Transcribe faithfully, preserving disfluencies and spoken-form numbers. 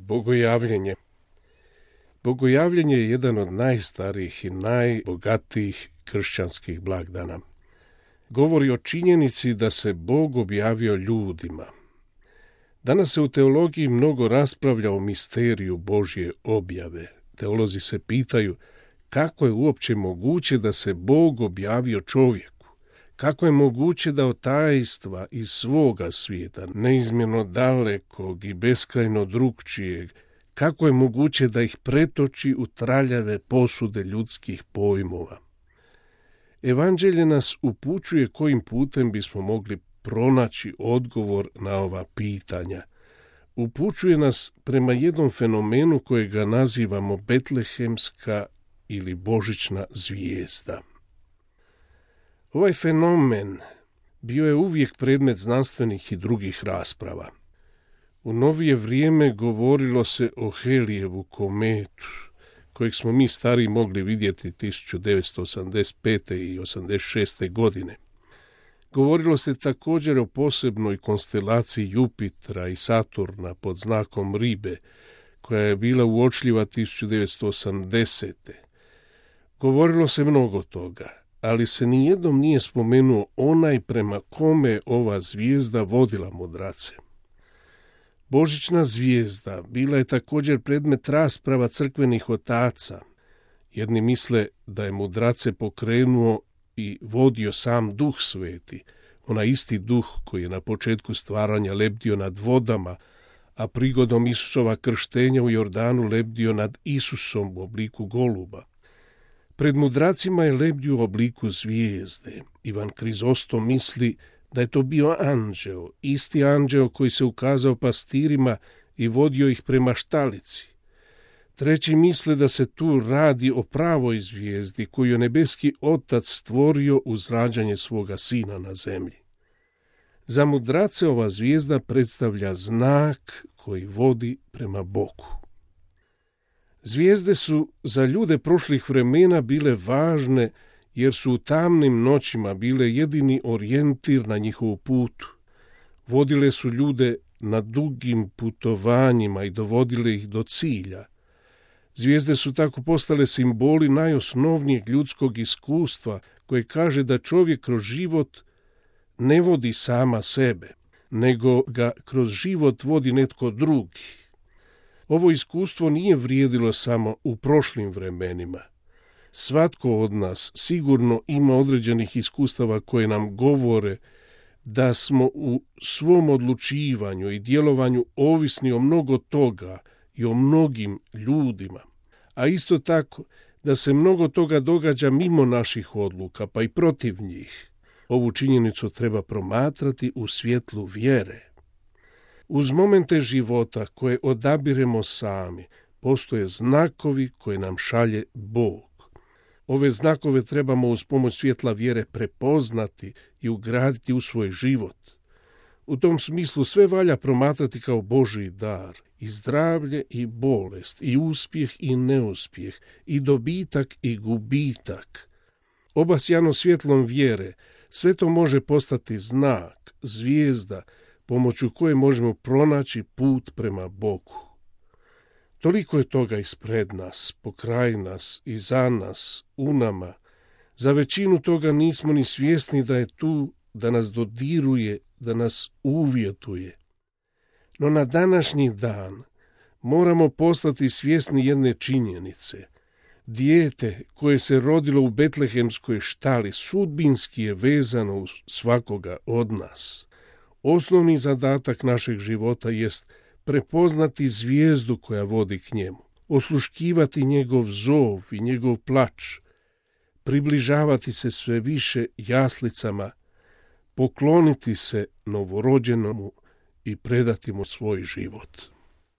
Bogojavljenje. Bogojavljenje je jedan od najstarijih i najbogatijih kršćanskih blagdana. Govori o činjenici da se Bog objavio ljudima. Danas se u teologiji mnogo raspravlja o misteriju Božje objave. Teolozi se pitaju kako je uopće moguće da se Bog objavio čovjeku. Kako je moguće da od tajstva iz svoga svijeta, neizmjerno dalekog i beskrajno drugčijeg, kako je moguće da ih pretoči u traljave posude ljudskih pojmova. Evanđelje nas upućuje kojim putem bismo mogli pronaći odgovor na ova pitanja. Upućuje nas prema jednom fenomenu kojega nazivamo betlehemska ili božićna zvijezda. Ovaj fenomen bio je uvijek predmet znanstvenih i drugih rasprava. U novije vrijeme govorilo se o Helijevu kometu, kojeg smo mi stariji mogli vidjeti tisuću devetsto osamdeset pete i osamdeset šeste godine. Govorilo se također o posebnoj konstelaciji Jupitra i Saturna pod znakom Ribe, koja je bila uočljiva tisuću devetsto osamdesete. Govorilo se mnogo toga, ali se nijednom nije spomenuo onaj prema kome ova zvijezda vodila mudrace. Božićna zvijezda bila je također predmet rasprava crkvenih otaca. Jedni misle da je mudrace pokrenuo i vodio sam Duh Sveti, onaj isti Duh koji je na početku stvaranja lebdio nad vodama, a prigodom Isusova krštenja u Jordanu lebdio nad Isusom u obliku goluba. Pred mudracima je lebdio u obliku zvijezde. Ivan Krizostom misli da je to bio anđeo, isti anđeo koji se ukazao pastirima i vodio ih prema štalici. Treći misle da se tu radi o pravoj zvijezdi koju je nebeski Otac stvorio uz rađanje svoga sina na zemlji. Za mudrace ova zvijezda predstavlja znak koji vodi prema Bogu. Zvijezde su za ljude prošlih vremena bile važne jer su u tamnim noćima bile jedini orijentir na njihovu putu. Vodile su ljude na dugim putovanjima i dovodile ih do cilja. Zvijezde su tako postale simboli najosnovnijeg ljudskog iskustva koje kaže da čovjek kroz život ne vodi sama sebe, nego ga kroz život vodi netko drugi. Ovo iskustvo nije vrijedilo samo u prošlim vremenima. Svatko od nas sigurno ima određenih iskustava koje nam govore da smo u svom odlučivanju i djelovanju ovisni o mnogo toga i o mnogim ljudima, a isto tako da se mnogo toga događa mimo naših odluka, pa i protiv njih. Ovu činjenicu treba promatrati u svjetlu vjere. Uz momente života koje odabiremo sami, postoje znakovi koje nam šalje Bog. Ove znakove trebamo uz pomoć svjetla vjere prepoznati i ugraditi u svoj život. U tom smislu sve valja promatrati kao Božji dar, i zdravlje i bolest, i uspjeh i neuspjeh, i dobitak i gubitak. Obasjano svjetlom vjere, sve to može postati znak, zvijezda, pomoću koje možemo pronaći put prema Bogu. Toliko je toga ispred nas, pokraj nas i za nas, u nama. Za većinu toga nismo ni svjesni da je tu, da nas dodiruje, da nas uvjetuje. No na današnji dan moramo postati svjesni jedne činjenice. Dijete koje se rodilo u betlehemskoj štali sudbinski je vezano uz svakoga od nas. Osnovni zadatak našeg života jest prepoznati zvijezdu koja vodi k njemu, osluškivati njegov zov i njegov plač, približavati se sve više jaslicama, pokloniti se novorođenomu i predati mu svoj život.